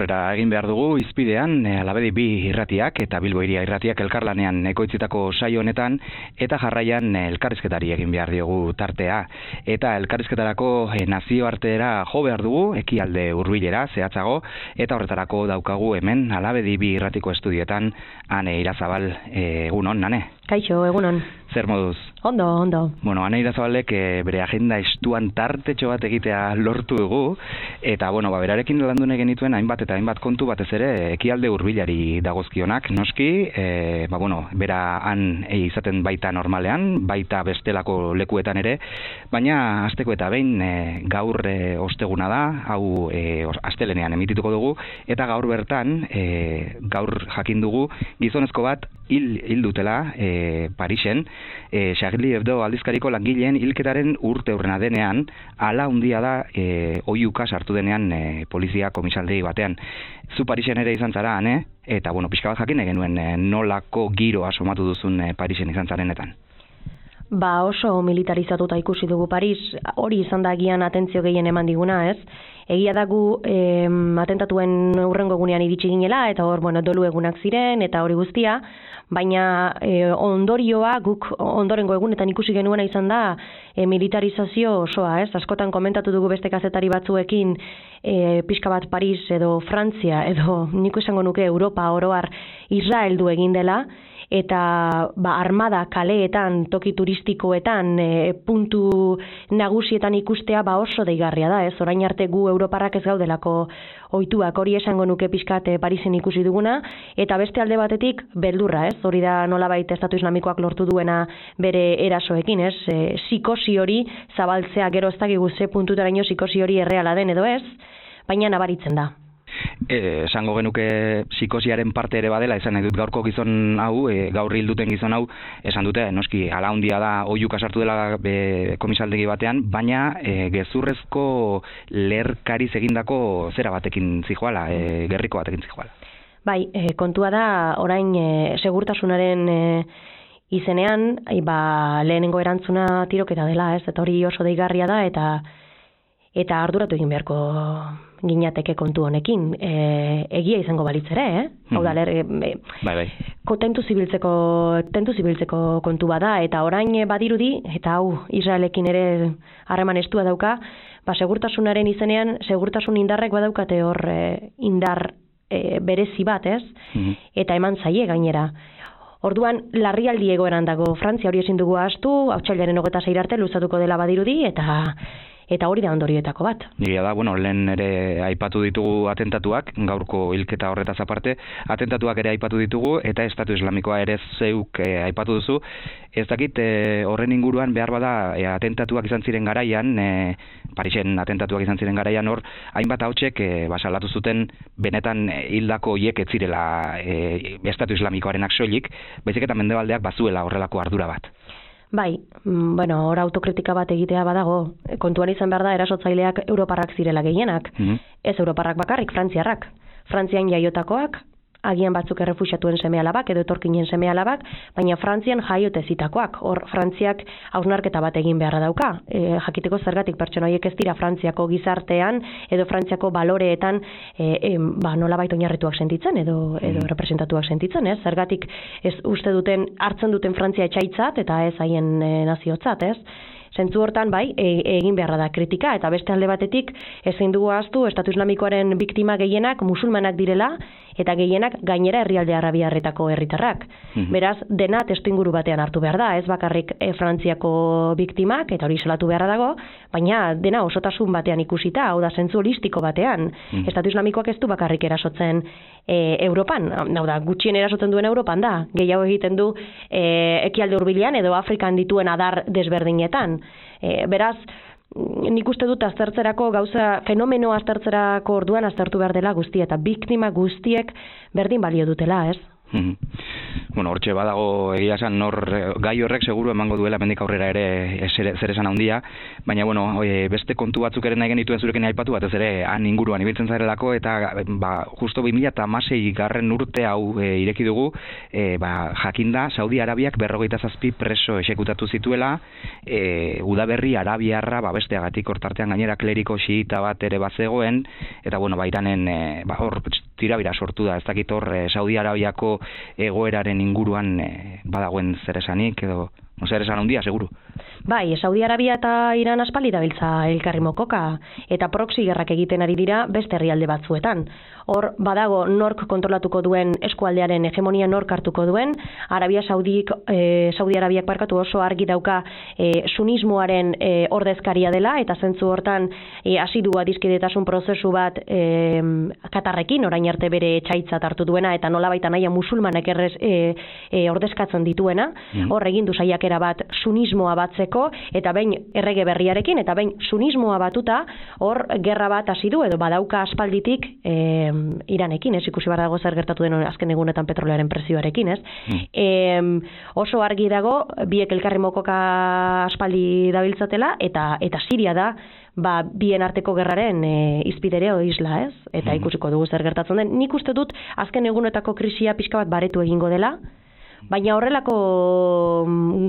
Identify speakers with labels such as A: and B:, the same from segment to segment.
A: aurrera egin behar dugu izpidean Alabedi bi irratiak eta Bilbo Hiria irratiak elkarlanean ekoitzitako saio honetan eta jarraian elkarrizketari egin behar diogu tartea. Eta elkarrizketarako nazioartera jo behar dugu, ekialde hurbilera zehatzago, eta horretarako daukagu hemen Alabedi bi irratiko estudioetan Ane Irazabal. Egunon, Ane?
B: Kaixo, egunon.
A: Zer moduz?
B: Ondo, ondo.
A: Bueno, Ane Irazabalek bere agenda estuan tartetxo bat egitea lortu dugu, eta berarekin landu nahi genituen hainbat eta hainbat kontu batez ere ekialde hurbilari dagozkionak, noski, bera han izaten baita normalean, baita bestelako lekuetan ere, baina hasteko eta behin gaur osteguna da, hau astelenean emitituko dugu, eta gaur bertan, gaur jakin dugu, gizonezko bat hil dutela Parisen, Charlie Hebdo aldizkariko langileen hilketaren urte hurrena denean, ala handia da oihuka sartu denean polizia komisaldegi batean. Zu Parisen ere izan zara, Ane? Eta, pixka bat jakin genuen nolako giro asomatu duzun Parisen izan zarenetan.
B: Oso militarizatuta ikusi dugu Paris, hori izan da agian atentzio gehien eman diguna, ez? Egia da gu atentatuen hurrengo egunean iritsi ginela, eta hor, dolu egunak ziren, eta hori guztia, baina ondorioa guk ondorengo egunetan ikusi genuena izan da militarizazio osoa, ez? Askotan komentatu dugu beste kazetari batzuekin pixka bat Paris edo Frantzia edo niko esango nuke Europa oroar Israel du egin dela, eta armada kaleetan, toki turistikoetan, puntu nagusietan ikustea oso deigarria da, ez? Orain arte gu europarrak ez gaudelako ohituak, hori esango nuke pixkat Parisen ikusi duguna, eta beste alde batetik beldurra, ez? Hori da nolabait Estatu Islamikoak lortu duena bere erasoekin, ez? Psikosi hori zabaltzea, gero ez dakigu ze puntutaraino psikosi hori erreala den edo ez, baina nabaritzen da.
A: Esango genuke psikosiaren parte ere badela, esan nahi dut gaurko gizon hau, gaur hil duten gizon hau, esan dute, noski, ala handia da oihuka sartu dela komisaldegi batean, baina gezurrezko lerkariz egindako zera batekin zijoala, gerriko batekin zijoala. Bai,
B: kontua da, orain segurtasunaren izenean, lehenengo erantzuna tiroketa dela, ez? Eta hori oso deigarria da, eta arduratu egin beharko ginateke kontu honekin. Egia izango balitz ere, Hau da, tentu zibiltzeko kontu bada, eta orain badirudi, eta hau Israelekin ere harreman estua dauka, segurtasunaren izenean, segurtasun indarrek badaukate hor indar berezi bat, ez? Eta eman zaie gainera. Orduan, larrialdi egoeran dago Frantzia, hori ezin dugu ahaztu, otsailaren 26 arte luzatuko dela badirudi, eta hori da ondorioetako bat.
A: Egia da, lehen ere aipatu ditugu atentatuak, gaurko hilketa horretaz aparte, atentatuak ere aipatu ditugu, eta Estatu Islamikoa ere zeuk aipatu duzu. Ez dakit horren inguruan behar bada atentatuak izan ziren garaian, Parisen atentatuak izan ziren garaian hor, hainbat ahotsek salatu zuten benetan hildako hiek ez zirela Estatu Islamikoarenak soilik, baizik eta mendebaldeak bazuela horrelako ardura bat.
B: Bai, hor autokritika bat egitea badago. Kontuan izan behar da erasotzaileak europarrak zirela gehienak. Ez europarrak bakarrik, frantziarrak. Frantzian jaiotakoak, agian batzuk errefuxiatuen seme-alabak edo etorkinen seme-alabak, baina Frantzian jaiote zitakoak. Hor, Frantziak hausnarketa bat egin beharra dauka. Jakiteko zergatik pertsona horiek ez dira Frantziako gizartean edo Frantziako baloreetan nolabait oinarrituak sentitzen edo representatuak sentitzen, ez? Zergatik ez uste duten, hartzen duten Frantzia etxaitzat eta ez haien naziotzat, ez? Zentzu hortan, egin beharra da kritika, eta beste alde batetik ezin dugu ahaztu Estatu Islamikoaren biktima gehienak musulmanak direla, eta gehienak gainera herrialde arabiarretako herritarrak. Beraz, dena testuinguru batean hartu behar da, ez bakarrik Frantziako biktimak, eta hori isolatu beharra dago, baina dena osotasun batean ikusita, hau da zentzu holistiko batean. Estatu Islamikoak ez du bakarrik erasotzen Europan, hau da, gutxien erasotzen duen Europan da, gehiago egiten du ekialde hurbilean edo Afrikan dituen adar desberdinetan. Beraz, nik uste dut aztertzerako gauza, fenomeno aztertzerako orduan aztertu behar dela guztia, eta biktima guztiek berdin balio dutela, ez?
A: Bueno, hortxe badago egia esan gai horrek seguru emango duela mendik aurrera ere zer esan handia, baina bueno, beste kontu batzuk ere nahi genituen zurekin aipatu batez ere han inguruan ibiltzen zarelako eta justo 2016 garren urte hau ireki dugu, jakinda Saudi Arabiak 57 preso exekutatu zituela, udaberri arabiarra besteagatik hortartean gainera kleriko xiita bat ere bazegoen, eta bueno, Iranen hor tirabira sortu da, ez dakit hor Saudi Arabiako egoeraren inguruan badagoen zer esanik edo zer esan handia, seguru.
B: Bai, Saudi Arabia eta Iran aspaldi dabiltza elkarri mokoka, eta proxy gerrak egiten ari dira beste herrialde batzuetan. Hor badago nork kontrolatuko duen eskualdearen hegemonia nork hartuko duen, Saudi Arabiak oso argi dauka sunismoaren ordezkaria dela, eta zentzu hortan hasi du adiskidetasun prozesu bat Katarrekin, orain arte bere etxaitzat hartu duena, eta nolabait anaia musulmanek ordezkatzen dituena, hor egin du saiakera bat sunismoa batzeko, eta behin errege berriarekin, eta behin sunismoa batuta, hor gerra bat hasi du, edo badauka aspalditik Iranekin, ikusi behar dago zer gertatu den azken egunetan petrolearen prezioarekin, oso argi dago, biek elkarri mokoka aspaldi dabiltzatela, eta Siria da, bien arteko gerraren izpidere isla, eta ikusiko dugu zer gertatzen den. Nik uste dut, azken egunetako krisia pixka bat baretu egingo dela, baina horrelako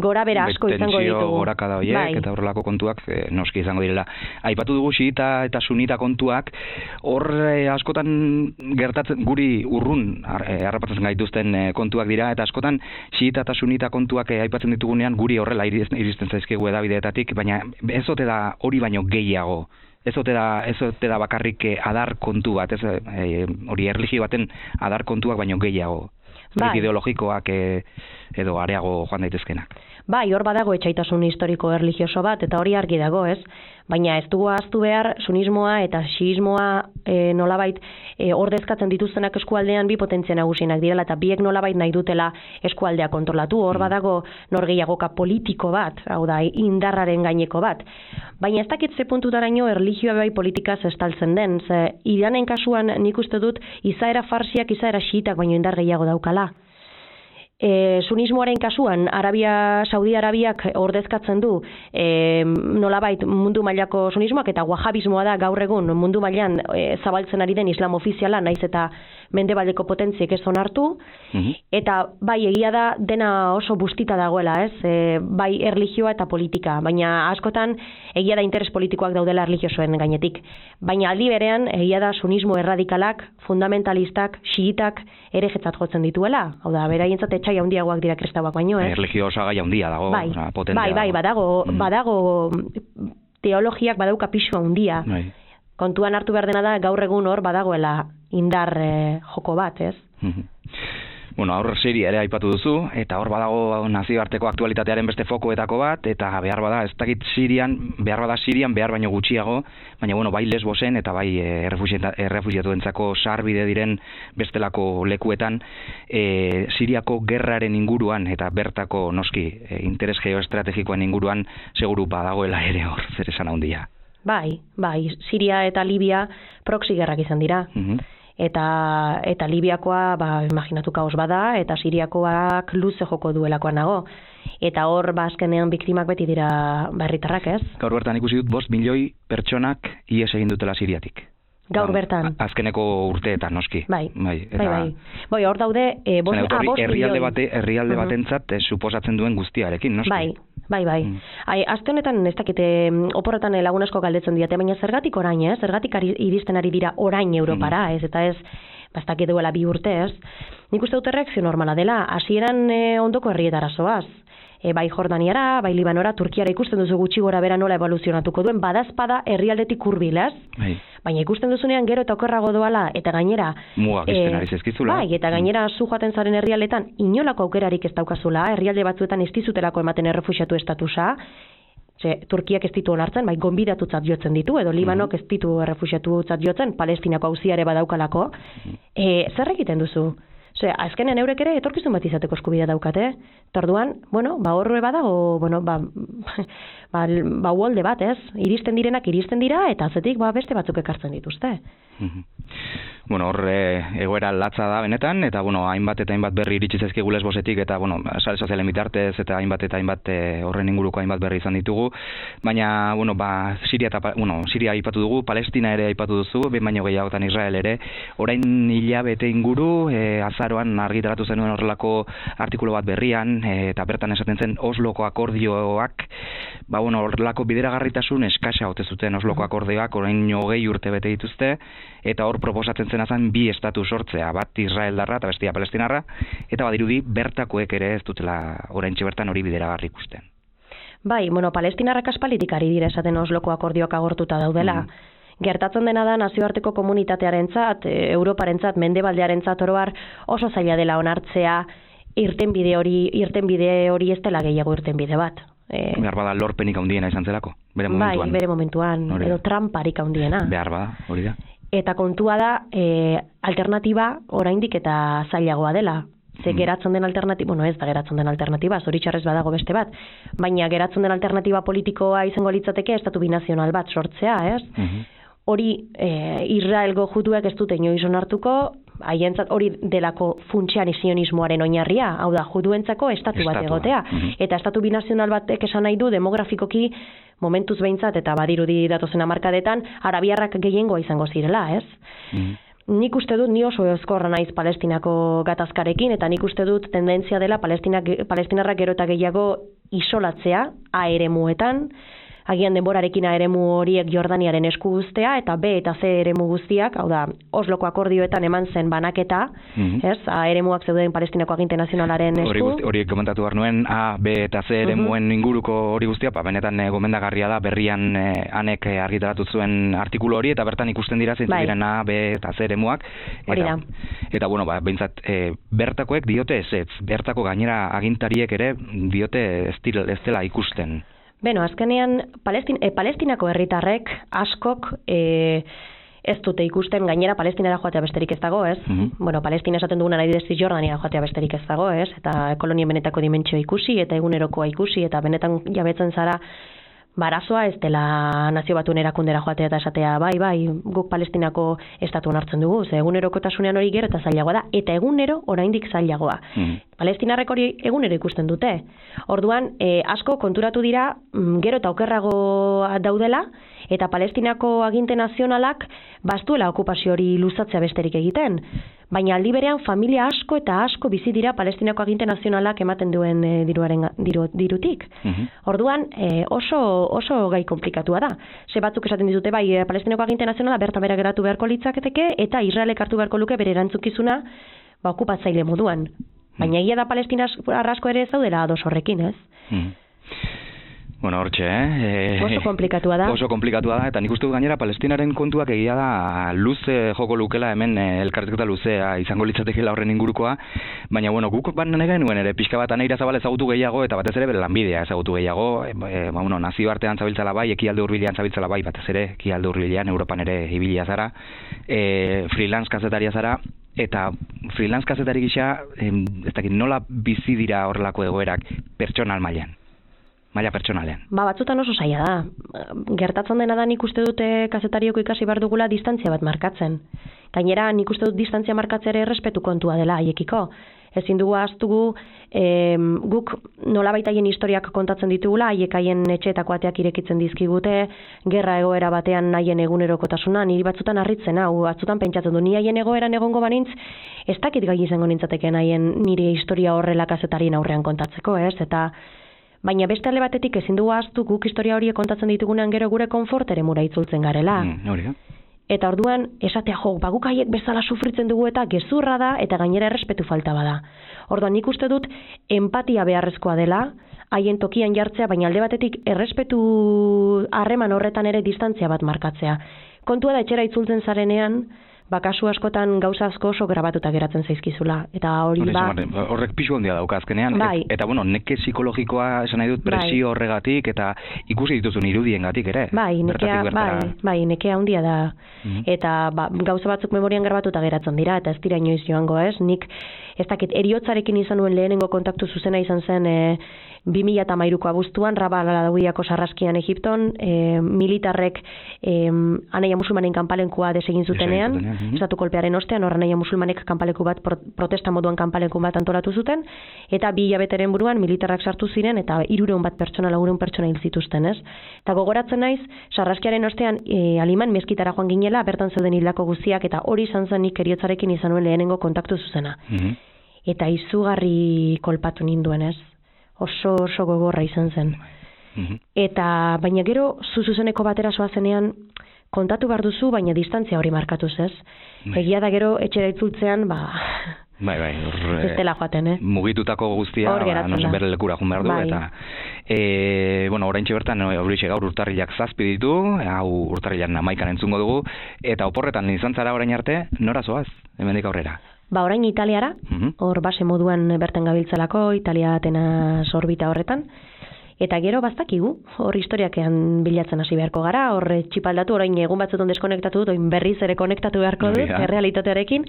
B: gora bera asko izango ditugu.
A: Tentsio gorakada horiek eta horrelako kontuak noski izango direla. Aipatu dugu xiita eta sunita kontuak, hor askotan gertatzen guri urrun harrapatzen gaituzten kontuak dira, eta askotan xiita eta sunita kontuak aipatzen ditugunean guri horrela iristen zaizkigu edabideetatik, baina ez ote da hori baino gehiago. Ez ote da bakarrik adar kontu bat, hori erlijio baten adar kontuak baino gehiago. Ideologikoak edo areago joan daitezkenak.
B: Bai, hor badago etxaitasun historiko erlijioso bat, eta hori argi dago, baina ez dugu ahaztu behar sunismoa eta xiismoa nolabait ordezkatzen dituztenak eskualdean bi potentzia nagusienak direla, eta biek nolabait nahi dutela eskualdea kontrolatu. Hor badago norgehiagoka politiko bat, hau da, indarraren gaineko bat. Baina ez dakit ze puntutaraino erlijioa bai politikaz estaltzen den, Iranen kasuan nik uste dut izaera farsiak, izaera xiitak baino indar gehiago daukala. Sunismoaren kasuan, Saudi Arabiak ordezkatzen du nolabait mundu mailako sunismoak, eta wahabismoa da gaur egun mundu mailan zabaltzen ari den islam ofiziala, naiz eta mendebaldeko potentziek ez onartu, eta bai egia da dena oso bustita dagoela, bai erlijioa eta politika, baina askotan egia da interes politikoak daudela erlijiosoen gainetik. Baina aldi berean egia da sunismo erradikalak, fundamentalistak, xiitak ere jetzat jotzen dituela, hau da, beraientzat etxai handiagoak dira kristauak baino,
A: Erlijio osagai handia dago, potentea.
B: Bai, badago teologiak badauka pisu handia. Kontuan hartu behar dena da, gaur egun hor badagoela indar joko bat,
A: Bueno, hor Siria ere aipatu duzu, eta hor badago nazioarteko aktualitatearen beste fokoetako bat, eta behar bada, ez dakit Sirian, behar baino gutxiago, baina bueno, bai Lesbosen eta bai errefuxiatuentzako sarbide diren bestelako lekuetan, Siriako gerraren inguruan eta bertako noski interes geoestrategikoen inguruan seguru badagoela ere hor, zer esan handia.
B: Bai, Siria eta Libia proxy gerrak izan dira. Eta Libiakoa, imaginatu kaos bada, eta Siriakoak luze joko duelakoan nago. Eta hor, azkenean biktimak beti dira herritarrak,
A: Gaur bertan ikusi dut 5 milioi pertsonak ihes egin dutela Siriatik.
B: Gaur bertan.
A: Azkeneko urteetan, noski.
B: Bai. Hor daude,
A: herrialde batentzat suposatzen duen guztiarekin, noski.
B: Bai. Aste honetan ez dakite oporretan lagun asko galdetzen diate, baina zergatik orain, zergatik iristen ari dira orain Europara, eta ez dakit duela 2 urte, Nik uste dut erreakzio normala dela, hasieran ondoko herrietara zoaz. Bai Jordaniara, bai Libanora, Turkiara ikusten duzu gutxi gora bera nola evoluzionatuko duen, badazpada herrialdetik hurbil, Baina ikusten duzunean gero eta okerrago doala, eta gainera
A: mugak izten ari zezkizula.
B: Bai, eta gainera zu joaten zaren herrialdetan inolako aukerarik ez daukazula, herrialde batzuetan ez dizutelako ematen errefuxiatu estatusa, Turkiak ez ditu onartzen, bai gonbidatutzat jotzen ditu, edo Libanok ez ditu errefuxiatutzat jotzen, Palestinako auziare badaukalako. Zer egiten duzu? Azkenen eurek ere etorkizun bat izateko eskubidea daukate. Orduan, horre badago, uolde bat, iristen direnak iristen dira, eta azetik beste batzuk ekartzen dituzte.
A: Bueno, hor egoera latza da benetan, eta bueno, hainbat eta hainbat berri iritsi zaizkigu Lesbosetik, eta bueno, sare sozialen bitartez eta hainbat horren inguruko hainbat berri izan ditugu, baina bueno, Siria aipatu dugu, Palestina ere aipatu duzu, behin baino gehiagotan Israel ere, orain hilabete inguru, azaroan argitaratu zenuen horrelako artikulu bat berrian, eta bertan esaten zen Osloko akordioak, horrelako bideragarritasun eskasa ote zuten Osloko akordioak, orain 20 urte bete dituzte, eta hor proposatzen zena zen bi estatu sortzea, bat Israeldarra eta bestia Palestinarra, eta badirudi bertakoek ere ez dutela oraintxe bertan hori bideragarri ikusten.
B: Bai, Palestinarrak aspalditik ari dira esaten Osloko akordioak agortuta daudela. Gertatzen dena da nazioarteko komunitatearentzat, Europarentzat, Mendebaldearentzat oro har oso zaila dela onartzea irtenbide hori ez dela gehiago irtenbide bat.
A: Behar bada lorpenik handiena izan zelako, bere momentuan.
B: Bai, bere momentuan, edo tramparik handiena.
A: Behar bada, hori da.
B: Eta kontua da, alternatiba oraindik eta zailagoa dela. Ze geratzen den alternatiba, ez da geratzen den alternatiba, zoritxarrez badago beste bat, baina geratzen den alternatiba politikoa izango litzateke estatu binazional bat sortzea, ez? Hori Israelgo juduek ez dute inoiz onartuko, haientzat hori delako funtsean sionismoaren oinarria, hau da, juduentzako estatu bat egotea. Eta estatu binazional batek esan nahi du demografikoki momentuz behintzat eta badirudi datozen hamarkadetan arabiarrak gehiengoa izango zirela, ez? Nik uste dut, ni oso ezkorra naiz Palestinako gatazkarekin, eta nik uste dut tendentzia dela palestinarrak gero eta gehiago isolatzea eremuetan, agian denborarekin eremu horiek Jordaniaren esku guztea, eta B eta C eremu guztiak, hau da, Osloko akordioetan eman zen banaketa, ez, eremuak zeuden Palestinako aginte nazionalaren esku.
A: Hori komentatu behar nuen, A, B eta C eremuen inguruko hori guztia, benetan gomendagarria da, berrian anek argitaratu zuen artikulu hori, eta bertan ikusten dira zeintzuk diren A, B eta C eremuak. Eta bueno, behintzat, bertakoek diote ez, bertako gainera agintariek ere diote ez dela ikusten.
B: Azkenean, Palestinako herritarrek askok ez dute ikusten, gainera Palestinara joatea besterik ez dago, ez? Palestina esaten duguna nahi dezi Jordania joatea besterik ez dago, ez? Eta kolonien benetako dimentsioa ikusi, eta egunerokoa ikusi, eta benetan jabetzen zara barazoa ez dela Nazio Batuen erakundera joatea eta esatea, bai, guk Palestinako estatu onartzen dugu, ze egunerokotasunean hori gero eta zailagoa da, eta egunero oraindik zailagoa. Palestinarrek hori egunero ikusten dute. Orduan, asko konturatu dira, gero eta okerrago daudela, eta Palestinako aginte nazionalak bastuela okupazio hori luzatzea besterik egiten. Baina aldi berean familia asko eta asko bizi dira Palestinako aginte nazionalak ematen duen dirutik. Orduan, oso gai komplikatua da. Ze batzuk esaten dizute, bai, Palestinako aginte nazionala bertan bera geratu beharko litzaketeke, eta Israelek hartu beharko luke bere erantzukizuna okupatzaile moduan. Baina egia da Palestina arrasko ere zaudela ados horrekin, ez?
A: Hortxe,
B: oso komplikatua da.
A: Oso komplikatua da, eta nik uste dut gainera Palestinaren kontuak egia da luze joko lukela hemen elkarrizketa luzea izango litzatekeela horren ingurukoa, baina guk nahi genuen ere pixka bat Aneira Zabal ezagutu gehiago, eta batez ere bere lanbidea ezagutu gehiago, nazioartean zabiltzala bai, ekialde hurbilean zabiltzala bai, batez ere ekialde hurbilean, Europan ere ibilia zara, freelance kazetaria zara, eta freelance kazetari gisa, ez dakit nola bizi dira horrelako egoerak pertsonal mailan. Maila pertsonalean. Batzutan
B: oso zaila da. Gertatzen dena da nik uste dute kazetarioko ikasi behar dugula distantzia bat markatzen. Gainera nik uste dut distantzia markatzea ere errespetu kontua dela haiekiko. Ezin dugu ahaztugu guk nolabait haien historiak kontatzen ditugula, haiek haien etxeetako ateak irekitzen dizkigute, gerra egoera batean haien egunerokotasuna, niri batzutan harritzen hau, batzutan pentsatzen du, ni haien egoeran egongo banintz, ez dakit gai izango nintzateken haien nire historia horrela kazetarien aurrean kontatzeko, ez? Baina beste alde batetik ezin dugu ahaztu guk historia horiek kontatzen ditugunean gero gure konfort eremura itzultzen garela. Eta orduan esatea guk haiek bezala sufritzen dugu eta gezurra da eta gainera errespetu falta bada. Orduan nik uste dut empatia beharrezkoa dela, haien tokian jartzea, baina alde batetik errespetu harreman horretan ere distantzia bat markatzea. Kontua da etxera itzultzen zarenean, kasu askotan gauza asko oso grabatuta geratzen zaizkizula. Eta hori
A: horrek pisu handia dauka azkenean. Eta neke psikologikoa esan nahi dut presio horregatik eta ikusi dituzun irudiengatik ere.
B: Nekea handia da. Eta gauza batzuk memorian grabatuta geratzen dira eta ez dira inoiz joango, ez? Nik ez dakit, eriotzarekin izan nuen lehenengo kontaktu zuzena izan zen 2013ko abuztuan, Rabal Adawiako sarraskian Egipton, militarrek Anaia musulmanen kanpalenkua desegin zutenean, estatu kolpearen ostean, hor Anaia musulmanek kanpaleku bat, protesta moduan kanpaleku bat antolatu zuten, eta 2 hilabeteren buruan militarrak sartu ziren, eta 300 pertsona, 400 pertsona hil zituzten, ez? Eta gogoratzen naiz, sarraskiaren ostean Aliman meskitara joan ginela, bertan zeuden hildako guztiak, eta hori izan zen nik eriotzarekin izan nuen lehenengo kontaktu zuzena. Eta izugarri kolpatu ninduen, ez? Oso gogorra izan zen. Eta, baina gero, zuzeneko batera zoazenean, kontatu behar duzu, baina distantzia hori markatuz, ez? Egia da gero, etxera itzultzean,
A: Bai,
B: ez dela joaten,
A: mugitutako guztia, bere lekura jun behar du, eta oraintxe bertan, horixe gaur urtarrilak 7 ditu, hau urtarrilan 11 entzungo dugu, eta oporretan izan zara orain arte, nora zoaz, hemendik aurrera?
B: Orain Italiara, hor base moduan bertan gabiltzalako, Italia Atenas orbita horretan, eta gero baztakigu, hor historiakean bilatzen hasi beharko gara, hor txipaldatu, orain egun batzuton deskonektatu dut, oin berriz ere konektatu beharko dut, errealitatearekin,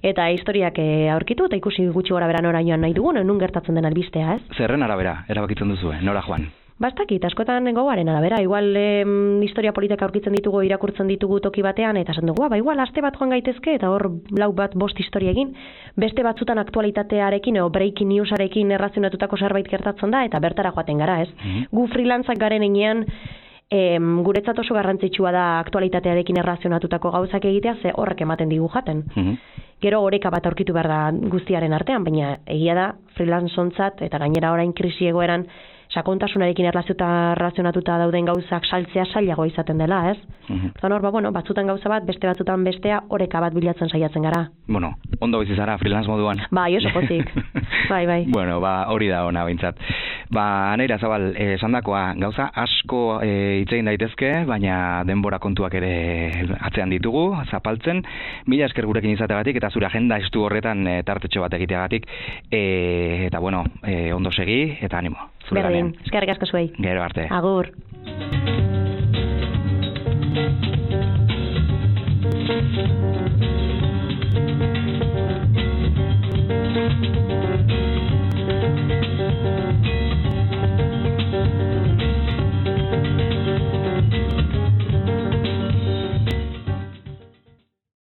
B: eta historiak aurkitu, eta ikusi gutxi gora bera nora joan nahi dugun, nun gertatzen den albistea, ez?
A: Zerren arabera, erabakitzen duzu, nora joan?
B: Bastakit, askotan gogoaren arabera, igual historia politika aurkitzen ditugu, irakurtzen ditugu toki batean, eta esan dugu, igual aste bat joan gaitezke, eta hor 5 historia egin, beste batzutan aktualitatearekin, breaking newsarekin errazionatutako zerbait gertatzen da, eta bertara joaten gara, ez? Gu freelantzak garen enean, guretzat oso garrantzitsua da aktualitatearekin errazionatutako gauzak egitea, ze horrek ematen digu jaten. Gero oreka bat aurkitu behar da guztiaren artean, baina egia da freelantzontzat, eta gainera orain krisi egoeran, sakontasunarekin erlazionatuta dauden gauzak saltzea zailago izaten dela, ez? Eta hor, batzutan gauza bat, beste batzutan bestea, oreka bat bilatzen saiatzen gara.
A: Ondo bizi zara freelance moduan.
B: Oso pozik. Bai.
A: Hori da ona behintzat. Aneira Zabal, esandakoa, gauza asko hitz egin daitezke, baina denbora kontuak ere atzean ditugu, zapaltzen. Mila esker gurekin izateagatik, eta zure agenda estu horretan tartetxo bat egiteagatik. Eta ondo segi, eta animo.
B: Berdin, eskerrik asko zuei.
A: Gero arte.
B: Agur.